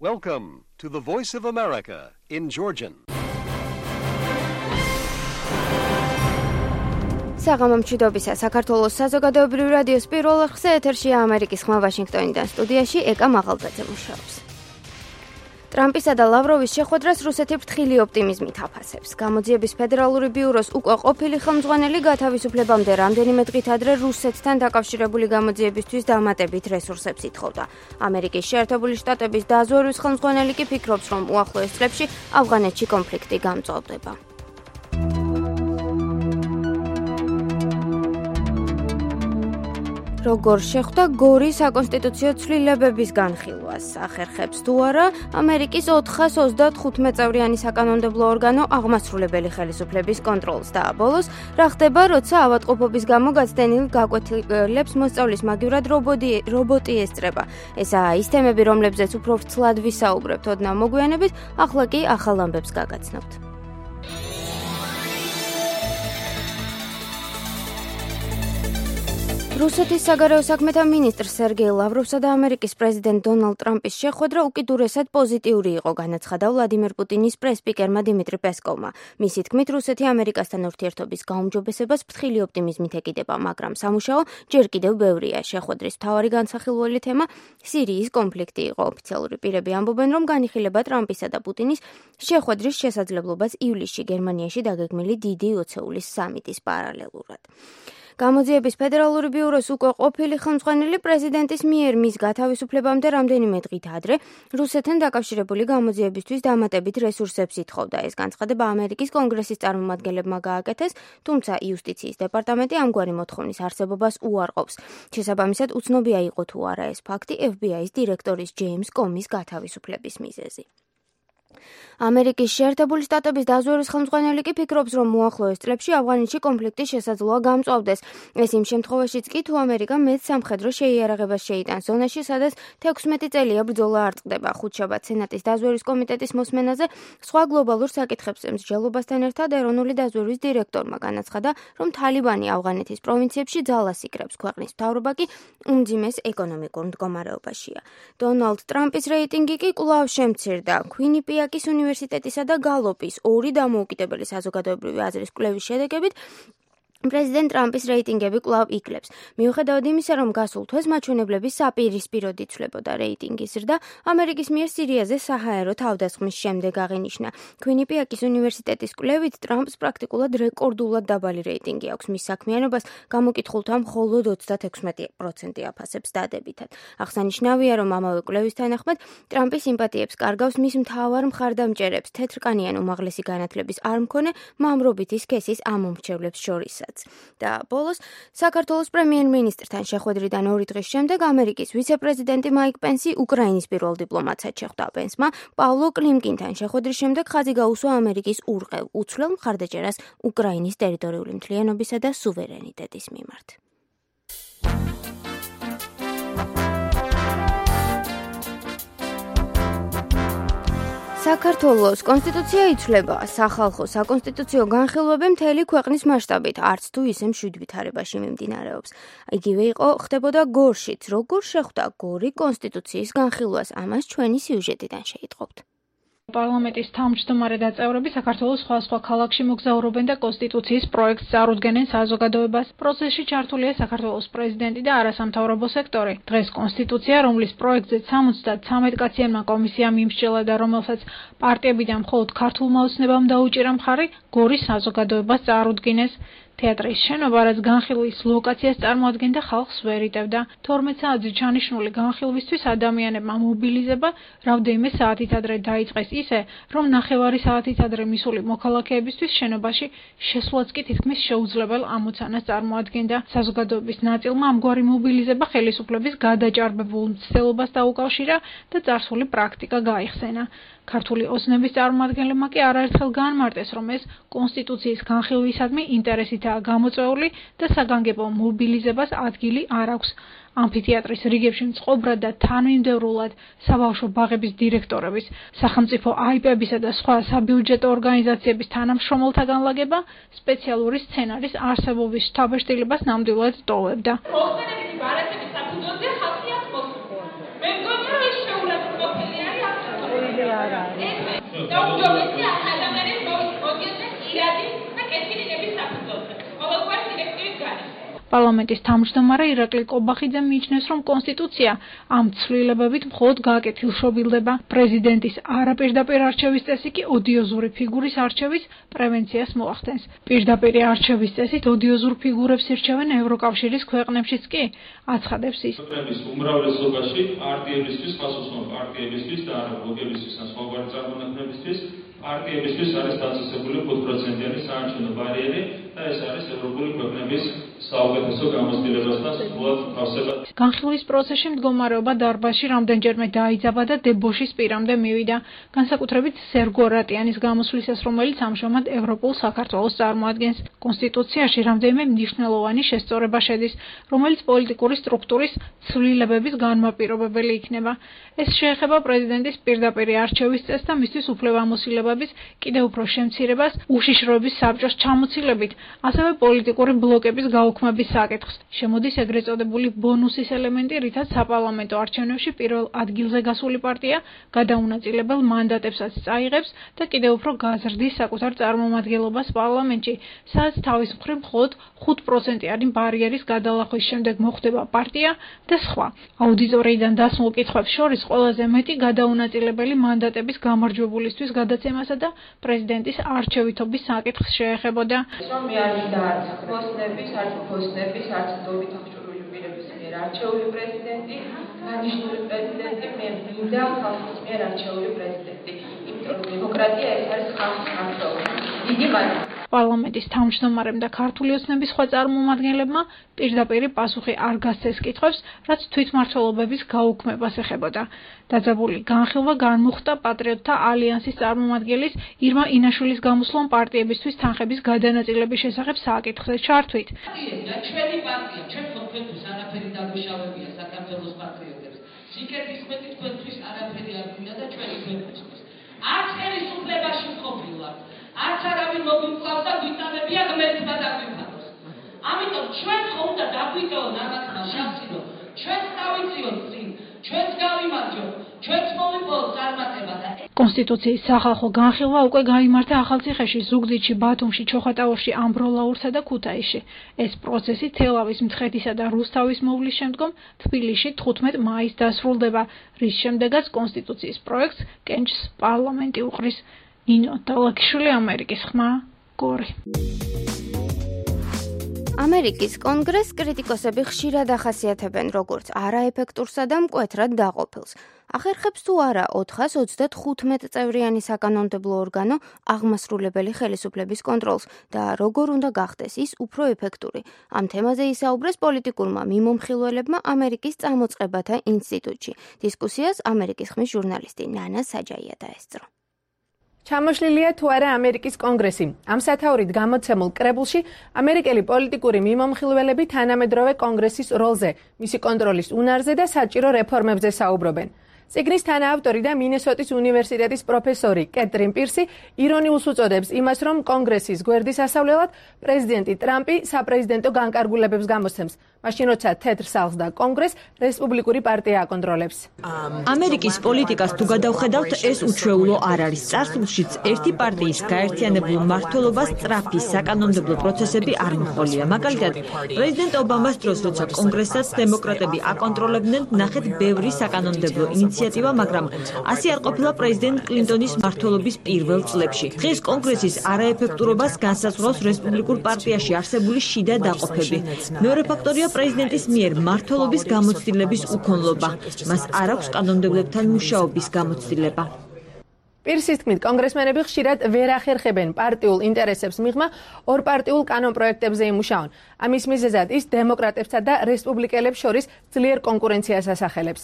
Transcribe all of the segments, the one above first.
Welcome to the Voice of America in Georgian. საღამომშვიდობისა საქართველოს საზოგადოებრივი რადიოს პირველ არხზე ეთერშია ამერიკის ხმა ვაშინგტონიდან სტუდიაში ეკა მაღალბაძე მუშაობს. ტრამპისა და ლავროვის შეხვედრას რუსეთი ფრთხილი ოპტიმიზმით აფასებს. გამოძიების ფედერალური ბიუროს უკვე ყოფილი ხელმძღვანელი გათავისუფლებამდე რამდენიმე დღით ადრე რუსეთთან დაკავშირებული გამოძიებისთვის დამატებით რესურსებს ითხოვდა. ამერიკის შეერთებული შტატების დაზვერვის ხელმძღვანელი კი ფიქრობს, რომ უახლოეს წლებში ავღანეთში კონფლიქტი გამწვავდება. როგორ შეხვდა გორის საკონსტიტუციო ცვლილებების განხილვას, ახერხებს თუ არა ამერიკის 435 წევრიანი საკანონმდებლო ორგანო აღმასრულებელი ხელისუფლების კონტროლს და ბოლოს რა ხდება, როცა ავადმყოფობის გამო გაცდენილ გაკვეთილებს მოსწავლის მაგივრად რობოტი ესწრება. ესაა ის თემები, რომლებზეც უფრო ვრცლად ვისაუბრებთ ოდნავ მოგვიანებით, ახლა კი ახალ ამბებს გაგაცნობთ. რუსეთის საგარეო საქმეთა მინისტრ სერგეი ლავროვსა და ამერიკის პრეზიდენტ დონალდ ტრამპის შეხვედრა უკიდურესად პოზიტიური იყო, განაცხადა ვლადიმერ პუტინის პრეს-სპიკერმა დიმიტრი პესკოვმა. მისი თქმით, რუსეთი ამერიკასთან ურთიერთობის გაუმჯობესებას ფრთხილი ოპტიმიზმით ეკიდება, მაგრამ სამუშაო ჯერ კიდევ ბევრია. შეხვედრის მთავარი განსახილველი თემა სირიის კონფლიქტი იყო. ოფიციალური პირები ამბობენ, რომ განიხილება ტრამპისა და პუტინის შეხვედრის შესაძლებლობას ივლისში გერმანიაში დაგეგმილი დიდი ოცეულის სამიტის პარალელურად. გამოძიების ფედერალური ბიუროს უკვე ყოფილი ხელმძღვანელი პრეზიდენტის მიერ მის გათავისუფლებამდე რამდენიმე დღით ადრე რუსეთთან დაკავშირებული გამოძიებისთვის დამატებით რესურსებს ითხოვდა. ეს განცხადება ამერიკის კონგრესის წარმომადგენლებმა გააკეთეს, თუმცა იუსტიციის დეპარტამენტი ამგვარი მოთხოვნის არსებობას უარყოფს. შესაბამისად, უცნობია იყო თუ არა ეს ფაქტი FBI-ის დირექტორის ჯეიმს კომის გათავისუფლების მიზეზი. ამერიკის შეერთებული შტატების დაზვერვის ხელმძღვანელი კი ფიქრობს, რომ უახლოეს წლებში ავღანეთში კონფლიქტი შესაძლოა გამწვავდეს. ეს იმ შემთხვევაშიც კი, თუ ამერიკა მეტ სამხედრო შეიარაღებას შეიტანს ზონაში, სადაც 16 წელია ბრძოლა არ წყდება. ხუთშაბათ სენატის დაზვერვის კომიტეტის მოსმენაზე სხვა გლობალურ საკითხებზე მსჯელობასთან ერთად ეროვნული დაზვერვის დირექტორმა განაცხადა, რომ თალიბანი ავღანეთის პროვინციებში ძალას იკრებს, ქვეყნის მთავრობა კი უმძიმეს ეკონომიკურ მდგომარეობაშია. დონალდ ტრამპის რეიტინგი კი კვლავ შემცირდა. ქვინიპიაკის უნივერსიტეტისა და გალოპის ორი დამოუკიდებელი საზოგადოებრივი აზრის კვლევის შედეგებით პრეზიდენტ ტრამპის რეიტინგები კვლავ იკლებს. მიუხედავად იმისა, რომ გასულ თვეს მაჩვენებლები საპირისპიროდ იცვლებოდა რეიტინგის ზრდა, ამერიკის მიერ სირიაზე საჰაერო თავდასხმის შემდეგ აღინიშნა. ქვინიპიაკის უნივერსიტეტის კვლევით ტრამპს პრაქტიკულად რეკორდულად დაბალი რეიტინგი აქვს. მის საქმიანობას გამოკითხულთა მხოლოდ 36% აფასებს დადებითად. აღსანიშნავია, რომ ამავე კვლევის თანახმად ტრამპის სიმპათიებს კარგავს მის მთავარ მხარდამჭერებს, თეთრკანიან უმაღლესი განათლების არ მქონე მამრობითი სქესის ამომრჩევლებს შორისაც. და ბოლოს საქართველოს პრემიერ-მინისტრთან შეხვედრიდან 2 დღის შემდეგ ამერიკის ვიცე-პრეზიდენტი მაიკ პენსი უკრაინის პირველ დიპლომატად შეხვდა. პენსმა პავლო კლიმკინთან შეხვედრის შემდეგ ხაზი გაუსვა ამერიკის ურყევ უცვლელ მხარდაჭერას უკრაინის ტერიტორიული მთლიანობისა და სუვერენიტეტის მიმართ. საქართველოს კონსტიტუცია იცვლება. სახალხო საკონსტიტუციო განხილვები მთელი ქვეყნის მასშტაბით, არც თუ ისე მშვიდ ვითარებაში მიმდინარეობს. იგივე ხდებოდა გორშიც. როგორ შეხვდა გორი კონსტიტუციის განხილვას? ამას ჩვენი სიუჟეტიდან შეიტყობთ. პარლამენტის თავმჯდომარე და წევრები საქართველოს სხვა ქალაქში მოგზაურობენ და კონსტიტუციის პროექტს წარუდგენენ საზოგადოებას. პროცესში ჩართულია საქართველოს პრეზიდენტი და არასამთავრობო სექტორი. დღეს კონსტიტუცია, რომლის პროექტზე 73 კაციანმა კომისიამ იმსჯელა და რომელსაც პარტიებიდან მხოლოდ ქართულმა ოცნებამ დაუჭირა მხარი, გორის საზოგადოებას წარუდგინეს. თეატრის შენობა, რაც განხილვის ლოკაციას წარმოადგენდა, ხალხს ვერ იტევდა. 12 საათზე ჩანიშნული განხილვისთვის ადამიანებმა მობილიზება რამდენიმე საათით ადრე დაიწყეს ისე, რომ 9 საათით ადრე მისული მოქალაქეებისთვის შენობაში შესვლაც კი თითქმის შეუძლებელ ამოცანას წარმოადგენდა. საზოგადოების ნაწილმა ამგვარი მობილიზება ხელისუფლების გადაჭარბებულ მცდელობას დაუკავშირა და წარსული პრაქტიკა გაიხსენა. ქართული ოცნების წარმომადგენლებმა კი არაერთხელ განმარტეს, რომ ეს კონსტიტუციის განხილვისადმი ინტერესითაა გამოწვეული და საგანგებო მობილიზებას ადგილი არ აქვს. ამფითეატრის რიგებში მწყობრად და თანმიმდევრულად საბავშვო ბაღების დირექტორების, სახელმწიფო აიპებისა და სხვა საბიუჯეტო ორგანიზაციების თანამშრომელთა განლაგება სპეციალური სცენარის არსებობის შთაბეჭდილებას ნამდვილად ტოვებდა. მოხდენებითი ბარათების საფუძველზე ხალხი აწყვეტს. მე მგონი, რომ ის შეუძლებლად ყოფილი არის. დაუჯობესია ადამიანის მოდიოდეს ირადი და კეთილინების საფუძველზე. ყოველგვარი დირექტივის გარშემო. პარლამენტის თავმჯდომარე ირაკლი კობახიძე მიიჩნევს, რომ კონსტიტუცია ამ ცვლილებებით მხოლოდ გააკეთილშობილდება. პრეზიდენტის არაპირდაპირ არჩევის წესი კი ოდიოზური ფიგურის არჩევის პრევენციას მოახდენს. პირდაპირი არჩევის წესით ოდიოზურ ფიგურებს ირჩევენ ევროკავშირის ქვეყნებშიც კი, აცხადებს ის. ქვეყნების უმრავლესობაში პარტიებისთვის, ხალხოსნო პარტიებისთვის და ბლოკებისთვის ან სხვაგვარი წარმონაქმნებისთვის პარტიებისთვის არის დაწესებული 5%-იანი საარჩევნო ბარიერი და ეს არის ევროპული ქვეყნების საუკეთესო გამოცდილებასთან სრულად თავსება. განხილვის პროცესში მდგომარეობა დარბაზში რამდენჯერმე დაიძაბა და დებოშის პირამდე მივიდა. განსაკუთრებით სერგო რატიანის გამოსვლისას, რომელიც ამჟამად ევროპულ საქართველოს წარმოადგენს. კონსტიტუციაში რამდენიმე მნიშვნელოვანი შესწორება შედის, რომელიც პოლიტიკური სტრუქტურის ცვლილებების განმაპირობებელი იქნება. ეს შეეხება პრეზიდენტის პირდაპირი არჩევის წესს და მისთვის უფლებამოსილებების კიდევ უფრო შემცირებას, უშიშროების საბჭოს ჩამოცილებით, ასევე პოლიტიკური ბლოკების გაუქმების საკითხს. შემოდის ეგრეთ წოდებული ბონუსის ელემენტი, რითაც საპარლამენტო არჩევნებში პირველ ადგილზე გასული პარტია გადაუნაწილებელ მანდატებსაც წაიღებს და კიდევ უფრო გაზრდის საკუთარ წარმომადგენლობას პარლამენტში, სადაც თავის მხრივ მხოლოდ 5%-იანი ბარიერის გადალახვის შემდეგ მოხვდება პარტია და სხვა. აუდიტორიიდან დასმულ კითხვებს შორის ყველაზე მეტი გადაუნაწილებელი მანდატების გამარჯვებულისთვის გადაცემასა და პრეზიდენტის არჩევითობის საკითხს შეეხებოდა. რომ მე არ მინდა არც ხოსნების, არც ფოსნების, არც დობით აღჭურვილი პირების მიერ არჩეული პრეზიდენტი, დანიშნული პრეზიდენტი, მე მინდა ხალხის მიერ არჩეული პრეზიდენტი. იმიტომ რომ დემოკრატია ეს არის ხალხის არჩევა. დიდი მადლობა. პარლამენტის თავმჯდომარემ და ქართული ოცნების სხვა წარმომადგენლებმა პირდაპირი პასუხი არ გასცეს კითხვებს, რაც თვითმმართველობების გაუქმებას ეხებოდა. დაძაბული განხილვა განმუხტა პატრიოტთა ალიანსის წარმომადგენლის ირმა ინაშვილის გამოსვლამ პარტიებისთვის თანხების გადანაწილების შესახებ საკითხზე ჩართვით. ჩვენი პარტია, ჩვენ თქვენთვის არაფერი დაგვიშავებია საქართველოს პატრიოტებს. სიკეთის მეტი თქვენთვის არაფერი არ გვინდა და ჩვენი ქვეყნისთვის. არც ხელისუფლებაში მყოფილვართ. არც არავინ მოგვიკლავს და გვიტანებია ღმერთმა დაგვიფაროს. ამიტომ ჩვენ ხო უნდა დაგვიტოვონ ამათმა შანსი, რომ ჩვენც დავიწიოთ წინ, ჩვენც გავიმარჯვოთ, ჩვენც მოვიპოვოთ წარმატება და კონსტიტუციის სახალხო განხილვა უკვე გაიმართა ახალციხეში, ზუგდიდში, ბათუმში, ჩოხატაურში, ამბროლაურსა და ქუთაისში. ეს პროცესი თელავის, მცხეთისა და რუსთავის მოვლის შემდგომ თბილისში 15 მაისს დასრულდება, რის შემდეგაც კონსტიტუციის პროექტს კენჭს პარლამენტი უყრის. ნინო დალაკიშვილი, ამერიკის ხმა, გორი. ამერიკის კონგრესს კრიტიკოსები ხშირად ახასიათებენ როგორც არაეფექტურსა და მკვეთრად დაყოფილს. ახერხებს თუ არა 435 წევრიანი საკანონმდებლო ორგანო აღმასრულებელი ხელისუფლების კონტროლს და როგორ უნდა გახდეს ის უფრო ეფექტური. ამ თემაზე ისაუბრეს პოლიტიკურმა მიმომხილველებმა ამერიკის წამოწყებათა ინსტიტუტში. დისკუსიას ამერიკის ხმის ჟურნალისტი ნანა საჯაია დაესწრო. ჩამოშლილია თუ არა ამერიკის კონგრესი. ამ სათაურით გამოცემულ კრებულში ამერიკელი პოლიტიკური მიმომხილველები თანამედროვე კონგრესის როლზე, მისი კონტროლის უნარზე და საჭირო რეფორმებზე საუბრობენ. წიგნის თანაავტორი და მინესოტის უნივერსიტეტის პროფესორი კეტრინ პირსი ირონიულს უწოდებს იმას, რომ კონგრესის გვერდის ასავლელად პრეზიდენტი ტრამპი საპრეზიდენტო განკარგულებებს გამოსცემს, მაშინ როცა თეთრ სახლს და კონგრესს რესპუბლიკური პარტია აკონტროლებს. ამერიკის პოლიტიკას თუ გადავხედავთ, ეს უჩვეულო არ არის. წარსულშიც ერთი პარტიის გაერთიანებულ მმართველობას სწრაფი საკანონმდებლო პროცესები არ მოჰყოლია. მაგალითად, პრეზიდენტ ობამას დროს, როცა კონგრესსაც დემოკრატები აკონტროლებდნენ, ნახეთ ბევრი საკანონმდებლო ინიციატივა, მაგრამ ასე არ ყოფილა პრეზიდენტ კლინტონის მმართველობის პირველ წლებში. დღეს კონგრესის არაეფექტურობას განსაზღვრავს რესპუბლიკურ პარტიაში არსებული შიდა დაყოფები. მეორე ფაქტორია პრეზიდენტის მიერ მმართველობის გამოცდილების უქონლობა. მას არ აქვს კანონმდებლებთან მუშაობის გამოცდილება. პირსის თქმით, კონგრესმენები ხშირად ვერ ახერხებენ პარტიულ ინტერესებს მიღმა ორპარტიულ კანონპროექტებზე იმუშაონ. ამის მიზეზად ის დემოკრატებსა და რესპუბლიკელებს შორის ძლიერ კონკურენციას ასახელებს.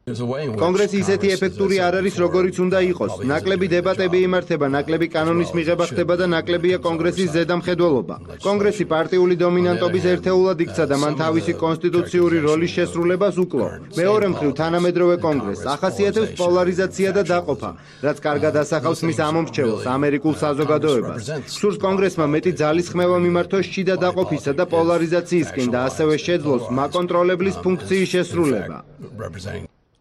კონგრესი ისეთი ეფექტური არ არის, როგორიც უნდა იყოს. ნაკლები დებატები იმართება, ნაკლები კანონის მიღება ხდება და ნაკლებია კონგრესის ზედამხედველობა. კონგრესი პარტიული დომინანტობის ერთეულად იქცა და მან თავისი კონსტიტუციური როლის შესრულებას უკლო. მეორე მხრივ, თანამედროვე კონგრესს ახასიათებს პოლარიზაცია და დაყოფა, რაც კარგად ასახავს მის ამომრჩეველს, ამერიკულ საზოგადოებას. სურს კონგრესმა მეტი ძალისხმევა მიმართოს შიდა დაყოფისა და პოლარიზაციისკენ და ასევე შეძლოს მაკონტროლებლის ფუნქციის შესრულება.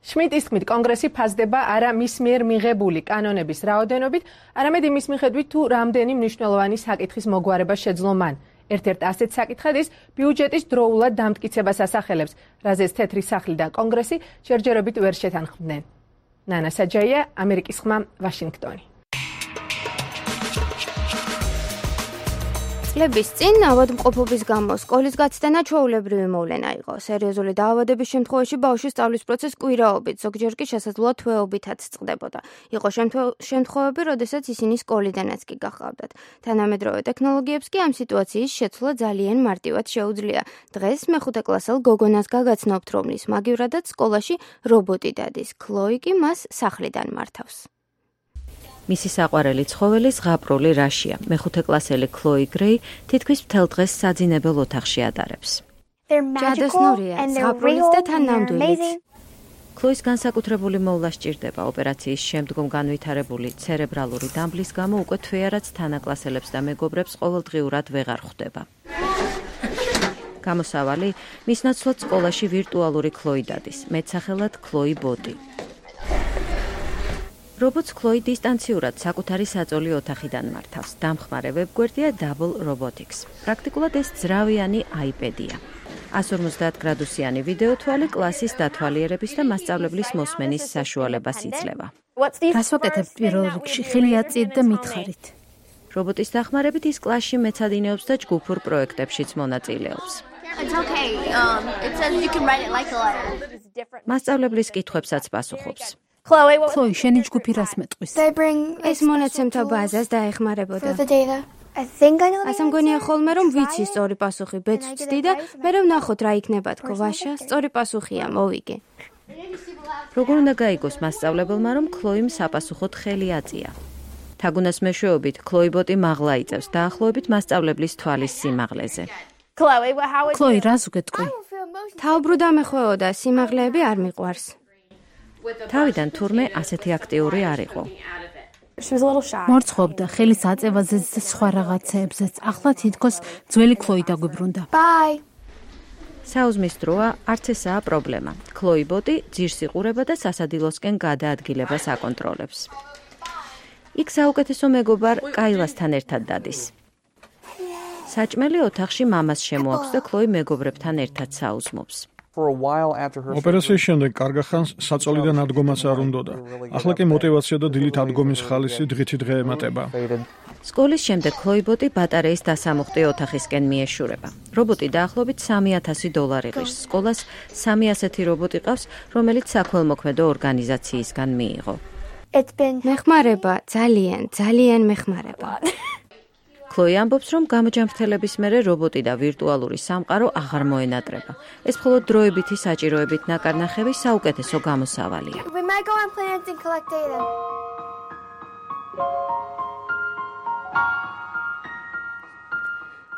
შმიტის თქმით, კონგრესი ფასდება არა მის მიერ მიღებული კანონების რაოდენობით, არამედ იმის მიხედვით, თუ რამდენი მნიშვნელოვანი საკითხის მოგვარება შეძლო მან. ერთ-ერთ ასეთ საკითხად ის ბიუჯეტის დროულად დამტკიცებას ასახელებს, რაზეც თეთრი სახლი და კონგრესი ჯერჯერობით ვერ შეთანხმდნენ. ნანა საჯაია, ამერიკის ხმა, ვაშინგტონი. წლების წინ ავადმყოფობის გამო სკოლის გაცდენა ჩვეულებრივი მოვლენა იყო. სერიოზული დაავადების შემთხვევაში ბავშვის სწავლის პროცესი კვირაობით, ზოგჯერ კი შესაძლოა თვეობითაც წყდებოდა. იყო შემთხვევები, როდესაც ისინი სკოლიდანაც კი გაჰყავდათ. თანამედროვე ტექნოლოგიებს კი ამ სიტუაციის შეცვლა ძალიან მარტივად შეუძლია. დღეს მეხუთე კლასელ გოგონას გაგაცნობთ, რომლის მაგივრადაც სკოლაში რობოტი დადის. ქლოი კი მას სახლიდან მართავს. მისი საყვარელი ცხოველი ზღაპრული რაშია. მეხუთე კლასელი ქლოი გრეი თითქმის მთელ დღეს საძინებელ ოთახში ატარებს. ჯადოსნურია, ზღაპრულიც და თან ნამდვილიც. ქლოის განსაკუთრებული მოვლა სჭირდება. ოპერაციის შემდგომ განვითარებული ცერებრალური დამბლის გამო უკვე თვეარაც თანაკლასელებს და მეგობრებს ყოველდღიურად ვეღარ ხვდება. გამოსავალი მის ნაცვლად სკოლაში ვირტუალური ქლოი დადის, მეტსახელად ქლოი ბოტი. რობოტს ქლოი დისტანციურად საკუთარი საწოლი ოთახიდან მართავს. დამხმარე ვებგვერდია Double Robotics. პრაქტიკულად ეს ძრავიანი iPad-ია. 150 გრადუსიანი ვიდეო თვალი კლასის დათვალიერების და მასწავლებლის მოსმენის საშუალებას იძლევა. რას ვაკეთებთ პირველ რიგში? ხელი აწიეთ და მითხარით. რობოტის დახმარებით ის კლასში მეცადინეობს და ჯგუფურ პროექტებშიც მონაწილეობს. მასწავლებლის კითხვებსაც პასუხობს. ქლოი, შენი ჯგუფი რას მეტყვის? ეს მონაცემთა ბაზას დაეხმარებოდა. ასე მგონია ხოლმე, რომ ვიცი სწორი პასუხი, ბეც ვცდი და მე ვნახოთ რა იქნება თქო, ვაშა, სწორი პასუხია, მოვიგე. როგორ უნდა გაიგოს მასწავლებელმა, რომ ქლოიმ საპასუხოდ ხელი აწია? თაგუნას მეშვეობით ქლოი ბოტი მაღლა იწევს დაახლოებით მასწავლებლის თვალის სიმაღლეზე. ქლოი, რას უგეთქვი? თავბრუ დამეხვეოდა, სიმაღლეები არ მიყვარს. თავიდან თურმე ასეთი აქტიური არ იყო. მორცხოვდა ხელის აწევაზეც და სხვა რაღაცეებზეც. ახლა თითქოს ძველი ქლოი დაგვიბრუნდა. საუზმის დროა არც ესაა პრობლემა. ქლოი ბოტი ძირს იყურება და სასადილოსკენ გადაადგილებას აკონტროლებს. იქ საუკეთესო მეგობარ კაილასთან ერთად დადის. საჭმელი ოთახში მამას შემოაქვს და ქლოი მეგობრებთან ერთად საუზმობს. ოპერაციის შემდეგ კარგა ხანს საწოლიდან ადგომაც არ უნდოდა. ახლა კი мотиваცია და დილით ადგომის ხალისი დღითი დღე ემატება. სკოლის შემდეგ ქლოი ბოტი ბატარეის დასამუხტი ოთახისკენ მიეშურება. რობოტი დაახლოებით $3,000 ღირს. სკოლას 3 ასეთი რობოტი ყავს, რომელიც საქველმოქმედო ორგანიზაციისგან მიიღო. მეხმარება, ძალიან მეხმარება. ქლოი ამბობს, რომ გამოჯანმრთელების მერე რობოტი და ვირტუალური სამყარო აღარ მოენატრება. ეს მხოლოდ დროებითი საჭიროებით ნაკარნახევი საუკეთესო გამოსავალია.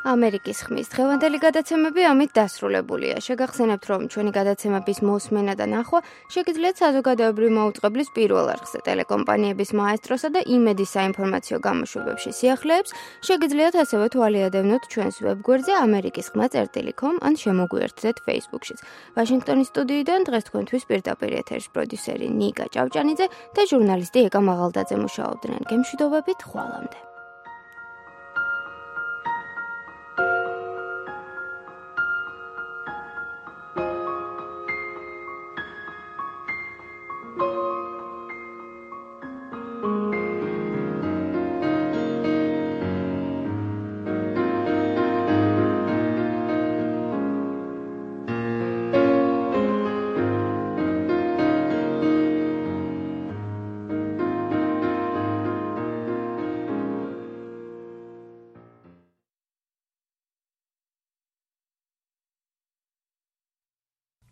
ამერიკის ხმის დღევანდელი გადაცემები ამით დასრულებულია. შეგახსენებთ, რომ ჩვენი გადაცემების მოსმენა და ნახვა შეგიძლიათ საზოგადოებრივი მაუწყებლის პირველ არხზე, ტელეკომპანიების მაესტროსა და იმედის საინფორმაციო გამოშვებებში სიახლეებს, შეგიძლიათ ასევე თვალიადევნოთ ჩვენს ვებგვერდზე amerikiskhma.com ან შემოგვიერთდეთ Facebook-შიც. ვაშინგტონის სტუდიიდან დღეს თქვენთვის პირდაპირ ეთერის პროდიუსერი ნიკა ჭავჭანიძე და ჟურნალისტი ეკა მაღალდაძე მუშაობდნენ. გემშვიდობებით, ხვალამდე.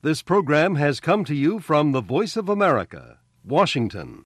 This program has come to you from the Voice of America, Washington.